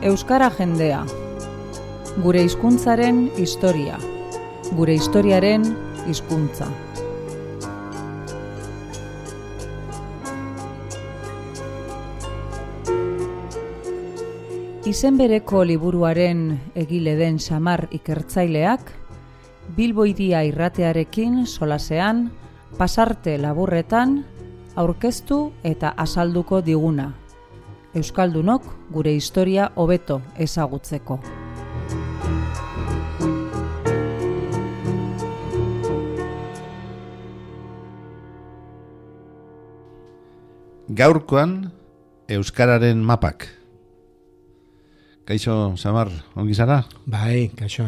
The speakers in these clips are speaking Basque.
Euskara jendea. Gure hizkuntzaren historia. Gure historiaren hizkuntza. Izen bereko liburuaren egile den Samar ikertzaileak, Bilbo Hiria irratearekin solasean, pasarte laburretan, aurkeztu eta azalduko diguna. Euskaldunok gure historia hobeto ezagutzeko. Gaurkoan, Euskararen mapak. Kaixo, Samar, ongi zara? Bai, kaixo.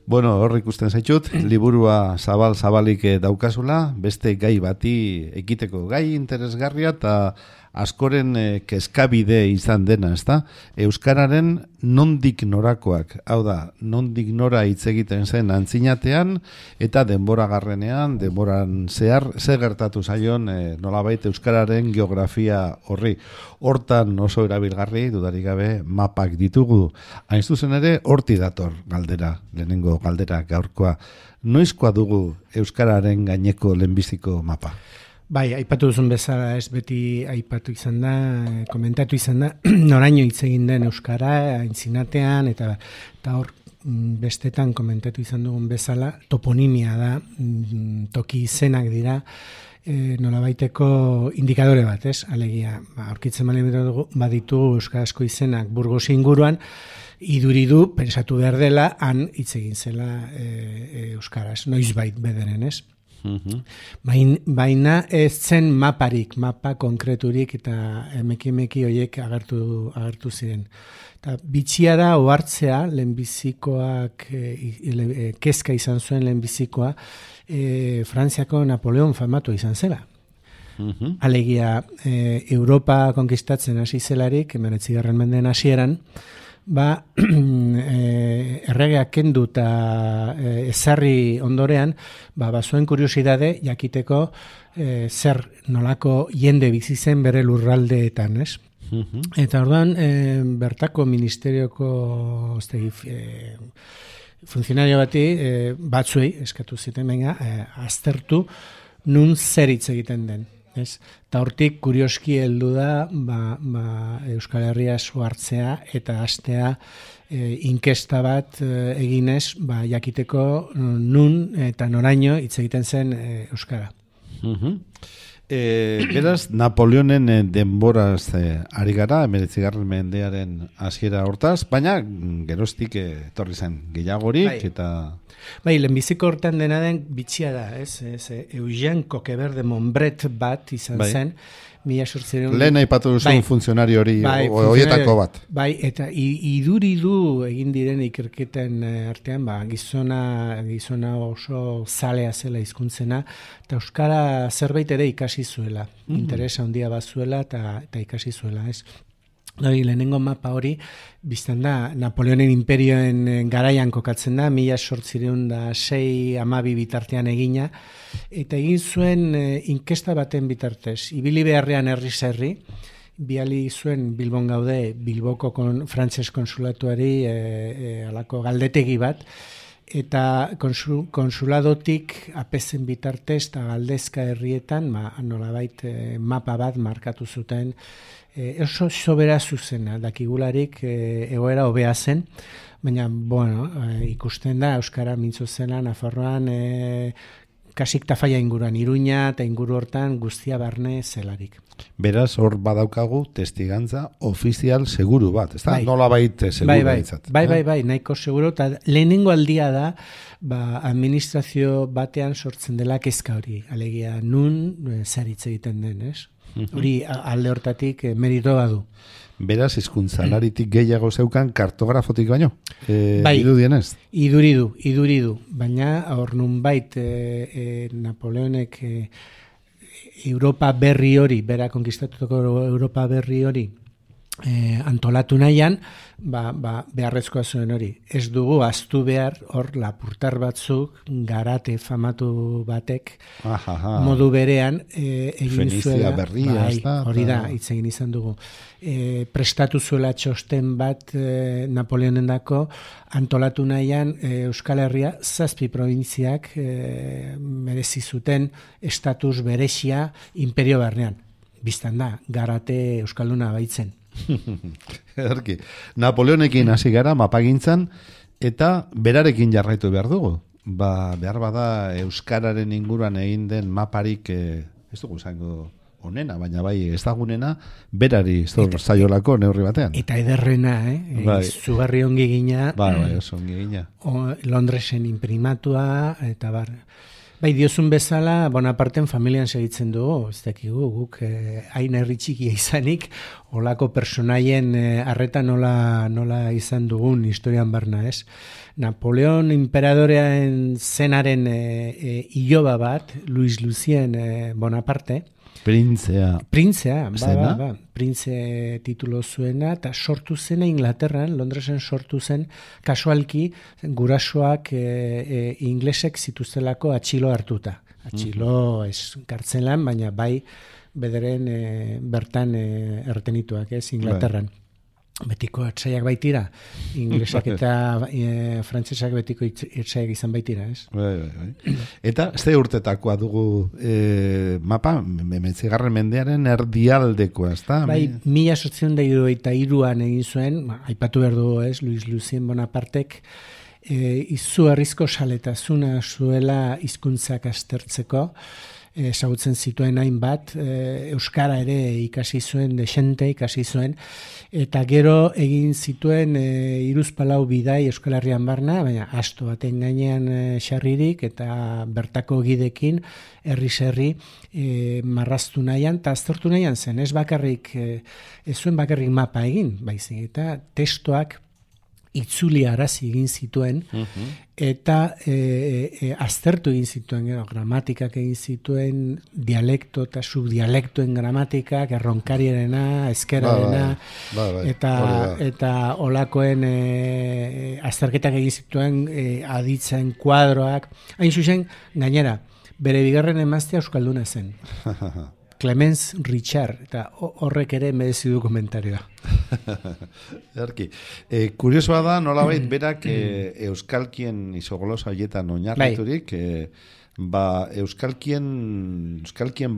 Bueno, hor ikusten zaitut, liburua zabalik daukazula, beste gai bati ekiteko gai interesgarria eta askoren kezkabide izan dena, ezta? Euskararen nondik norakoak, hau da, nondik nora hitz egiten zen antzinatean eta denboragarrenean, denboran zehar, zer gertatu zaion nolabait Euskararen geografia horri. Hortan oso erabilgarri, dudarik gabe, mapak ditugu. Hain zuzen ere, horti dator galdera, lehenengo galdera gaurkoa. Noizkoa dugu Euskararen gaineko lehenbiziko mapa? Bai, aipatu duzun bezala ez beti aipatu izan da, komentatu izan da, noraino hitz egin den Euskara, aintzinatean, eta hor bestetan komentatu izan dugun bezala, toponimia da, toki izenak dira, nolabaiteko indikadore bat, ez? Alegia, aurkitzen baditu euskarazko izenak Burgos inguruan, iduridu, pensatu behar dela, han hitz egin zela euskaraz, noizbait bederen, ez? Baina ez zen maparik, mapa konkreturik eta emeki horiek agertu ziren. Eta bitxia da ohartzea lehenbizikoak, kezka izan zuen lehenbizikoa, Frantziako Napoleon famatu izan zela. Alegia, Europa konkistatzen hasi zelarik, 19. mendeen hasieran, erregeak kendu eta ezarri ondorean, bazuen kuriosidade jakiteko zer nolako jende bizi zen bere lurraldeetan, ez? Eta orduan, bertako ministerioko funtzionario bati batzuei eskatu ziten, aztertu nun zer hitz egiten den. Eta hortik kurioski heldu da Euskal Herria hartzea eta hastea inkesta bat eginez jakiteko nun eta noraino hitz egiten zen Euskara. Beraz, Napoleonen denboraz ari gara, 19. mendearen hasiera hortaz, baina geroztik etorri zen gehiagorik eta... Bai, lehenbiziko hortan dena den bitxia da, ez? Eugène Coquebert de Montbret bat izan zen, lehen aipatu duzun funtzionario hori, horietako bat. Bai, eta iduridu egin diren ikerketen artean, gizona oso zalea zela hizkuntzena, eta euskara zerbait ere ikasi zuela, interesa handia bazuela eta ikasi zuela, ez? Lehenengo mapa hori, biztan da, Napoleonen imperioen garaian kokatzen da, 1806-12 bitartean egina, eta egin zuen inkesta baten bitartez. Ibili beharrean herri, biali zuen Bilbon gaude, Bilboko frantses konsulatuari alako galdetegi bat, eta konsuladotik apezen bitartez eta galdezka herrietan, nolabait mapa bat markatu zuten, oso sobera zuzena, dakigularik egoera hobea zen, baina, ikusten da, Euskara mintzo zela, Nafarroan, kasik tafaia inguruan, Iruña eta inguru hortan guztia barne zelarik. Beraz, hor badaukagu testigantza ofizial seguru bat, ez da? Nola baita seguru baitzat. Bai, nahiko seguru, eta lehenengo aldia da, administrazio batean sortzen dela kezka hori, alegia nun zer hitz egiten den, ez? Hori alde hortatik merito badu. Beraz, hizkuntzalaritik gehiago zeukan kartografotik baino? Irudienez? Iduridu. Baina, hor nunbait Napoleonek Europa berri hori, bera konkistatutako Europa berri hori, antolatu nahian, beharrezkoa zuen hori. Ez dugu ahaztu behar hor lapurtar batzuk garate famatu batek modu berean egin zuela. Berria, hori da, hitz egin izan dugu. Prestatu zuela txosten bat Napoleonendako antolatu nahian Euskal Herria 7 probintziak merezi zuten estatus berezia imperio barnean. Biztan da, garate euskalduna baitzen. Erki, Napoleonekin hasi gara mapagintzan eta berarekin jarraitu behar dugu. Behar bada euskararen inguruan egin den maparik ez dugu zango onena, baina bai ezagunena berari zor zaiolako neurri batean. Eta ederrena, zugarri ongi gina. Bai, oso ongi gina. Londresen imprimatua, eta Bai, diozun bezala, Bonaparten familian segitzen dugu, ez dakigu, guk hain herri txikia izanik, olako personaien arreta nola izan dugun historian barna, ez? Napoleon imperadorean zenaren iloba bat, Luis Lucien Bonaparte, Printzea, printze titulo zuena, eta sortu zena Inglaterran, Londresen sortu zen, kasualki gurasoak inglesek zituztelako atxilo hartuta. Atxilo ez kartzelan, baina bai bederen bertan erretenituak, ez, Inglaterran. Betiko etzaiak baitira, inglesak eta frantsesak betiko etzaiak izan baitira, ez? Bai. Eta ze urtetakoa dugu mapa, mementzigarren mendearen erdialdekoa, ez da? Bai, 1773an egin zuen, aipatu behar dugu, ez, Luis Lucien Bonapartek, izugarrizko saletasuna zuela hizkuntzak aztertzeko, ezagutzen zituen hainbat, euskara ere ikasi zuen, desente ikasi zuen, eta gero egin zituen 3-4 bidai Euskal Herrian barna, baina asto baten gainean xarririk, eta bertako gidekin herri marraztu nahian, eta aztertu nahian zen, ez zuen bakarrik mapa egin, baizik, eta testoak itzuli arazi egin zituen, eta aztertu egin zituen, gramatikak egin zituen, dialekto eta subdialektoen gramatikak, erronkarierena, eskerarena, eta olakoen azterketak egin zituen, aditzen kuadroak, hain zuzen, gainera, bere bigarren emaztea euskalduna zen. Clemens Richard, eta horrek ere merezi du komentarioa. Erki, kuriosoa da, nolabait berak euskalkien isogolosa horietan oinarriturik, euskalkien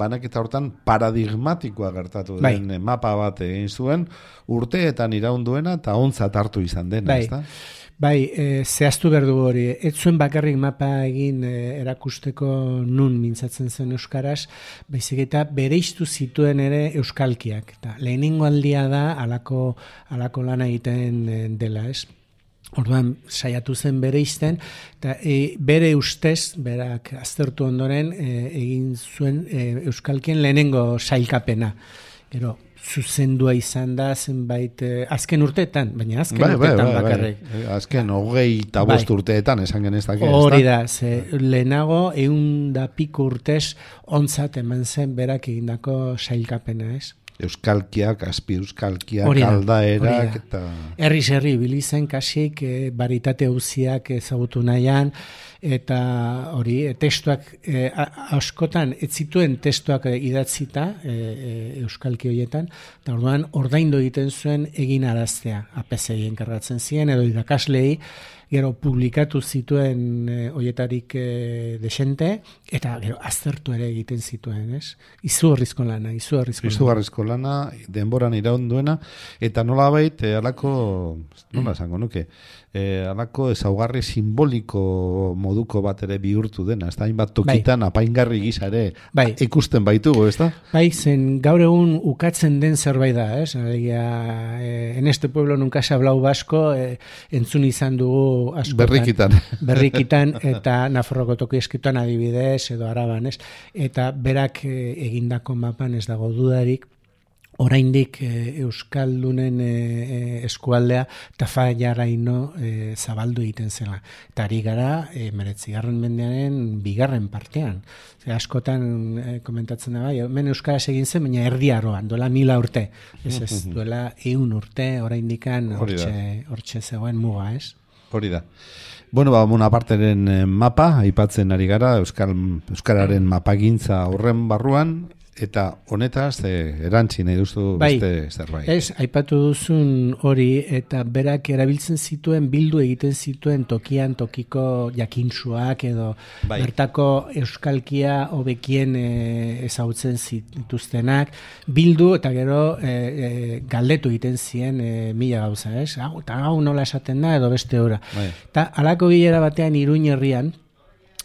banaketa hortan paradigmatikoa gertatu den mapa bat egin zuen, urteetan iraunduena eta ontzat hartu izan dena, ezta? Bai, zehaztu behar dugu hori, ez zuen bakarrik mapa egin erakusteko nun mintzatzen zen euskaraz, baizik eta bereiztu zituen ere euskalkiak. Eta lehenengo aldia da alako lana egiten dela, ez? Orduan, saiatu zen bereizten, eta bere ustez, berak aztertu ondoren, egin zuen euskalkien lehenengo sailkapena. Gero, zuzendua izan da zenbait azken urteetan, baina urteetan bakarrik. Azken 25 urteetan esan genezak. Hori da, lehenago 100 piku urtez ontzat eman zen berak egindako sailkapena, ez? Euskalkiak, azpi euskalkiak, aldaerak eta... Herri bilizen kasik, baritate hauziak ezagutu nahian, eta hori, testuak askotan, ez zituen testuak idatzita euskalki horietan, eta orduan ordaindu egiten zuen egin araztea, APC enkargatzen ziren, edo irakaslei, gero publikatu zituen horietarik desente, eta gero aztertu ere egiten zituen, ez? Izugarrizko lana, denboran iraunduena, eta nolabait, nola esango nuke, alako ezaugarri simboliko moduko bat ere bihurtu dena, ez da, hainbat tokitan apaingarri gisa ere ikusten baitugu, ez da? Bai, zen gaur egun ukatzen den zerbait da, ez? En este pueblo nunca se hablau vasco, entzun izan dugu askotan. Berrikitan, eta Nafarroko toki eskituan adibidez, edo Araban, ez? Eta berak egindako mapan ez dago dudarik, oraindik Euskaldunen eskualdea tafaiaraino zabaldu egiten zela. Eta ari gara 19. mendearen bigarren partean. Askotan komentatzen da bai, hemen euskaraz egin zen, baina erdi aroan, duela 1000 urte. Ez, duela 100 urte, oraindikan hortxe zegoen muga, ez? Hori da. Bueno, Bonaparteren mapa, aipatzen ari gara, Euskararen mapagintza horren barruan, eta honetaz, erantzi nahi duzu beste zerbait. Ez, aipatu duzun hori, eta berak erabiltzen zituen, bildu egiten zituen tokian tokiko jakintsuak edo bertako euskalkia hobekien ezagutzen zituztenak, bildu eta gero galdetu egiten zien mila gauza, ez? Eta hau nola esaten da edo beste ora. Eta halako bilera batean Iruin herrian,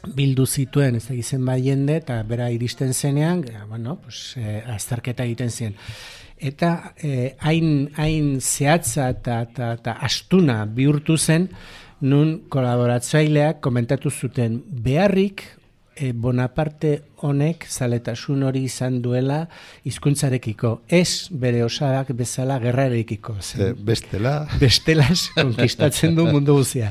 bildu zituen ez egizen bai jende eta bera iristen zenean, azterketa egiten zien. Eta hain zehatza eta astuna bihurtu zen, nun kolaboratzaileak komentatu zuten beharrik Bonaparte honek zaletasun hori izan duela hizkuntzarekiko, ez bere osadak bezala gerrarekiko. Bestelaz konkistatzen du mundu guztia.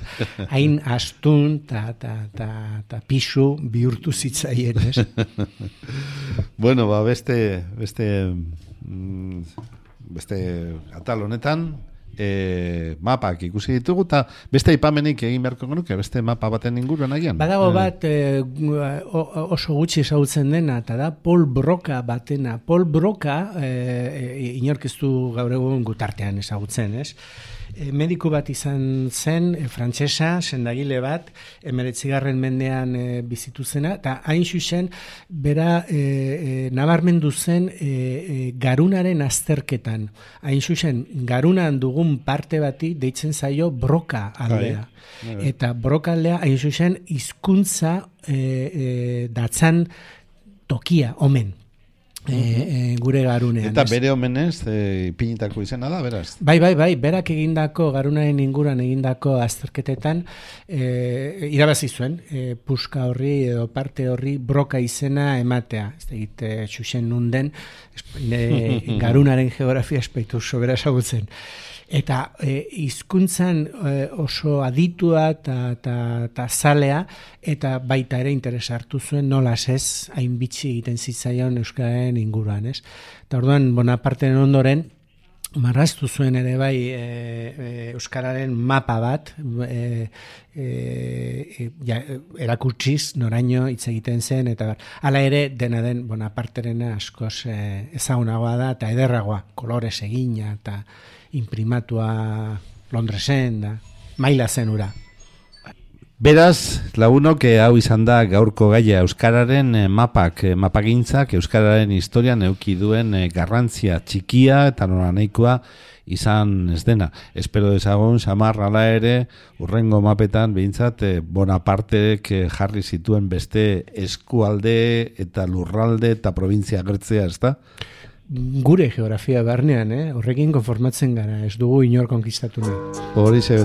Hain astun eta pisu bihurtu zitzaien, ez? Bueno, beste atal honetan, mapak ikusi ditugu, eta beste aipamenik egin beharko genuke, beste mapa baten inguruan agian. Badago bat oso gutxi ezagutzen dena, eta da Paul Broca batena. Paul Broca, inorkeztu gaur egun gutartean ezagutzen, ez? Mediku bat izan zen, frantsesa, sendagile bat, 19. mendean bizitu zena, eta hain zuzen, bera nabarmendu zen garunaren azterketan. Hain zuzen, garunan dugun parte bati deitzen zaio Broca aldea. Eta Broca aldea, hain zuzen, hizkuntza datzan tokia, omen. Gure garunean. Eta bere omenez, ipinitako izena da, beraz? Bai, berak egindako, garunaren inguruan egindako azterketetan, irabazi zuen, puska horri edo parte horri Broca izena ematea. Ez da egite txuxen nunden, garunaren geografia espaitu sobera esagutzen. Eta hizkuntzan oso aditua eta zalea, eta baita ere interesa hartu zuen nolaz ez, hain bitxi egiten zitzaion euskararen inguruan, ez? Eta orduan, Bonaparteren ondoren, marraztu zuen ere bai euskararen mapa bat, erakutsiz noraino hitz egiten zen, eta hala ere dena den Bonaparterena askoz ezagunagoa da, eta ederragoa, kolorez egina, eta imprimatua Londresen da, maila zen ura. Beraz, lagunok hau izan da gaurko gaia euskararen mapagintzak euskararen historian eduki duen garrantzia txikia eta noranahikoa izan ez dena. Espero dezagun, Samar, hala ere, urrengo mapetan behintzat Bonapartek jarri zituen beste eskualde eta lurralde eta provintzia agertzea, ez da? Gure geografia barnean, horrekin konformatzen gara, ez dugu inor konkistatu nahi. Horixe.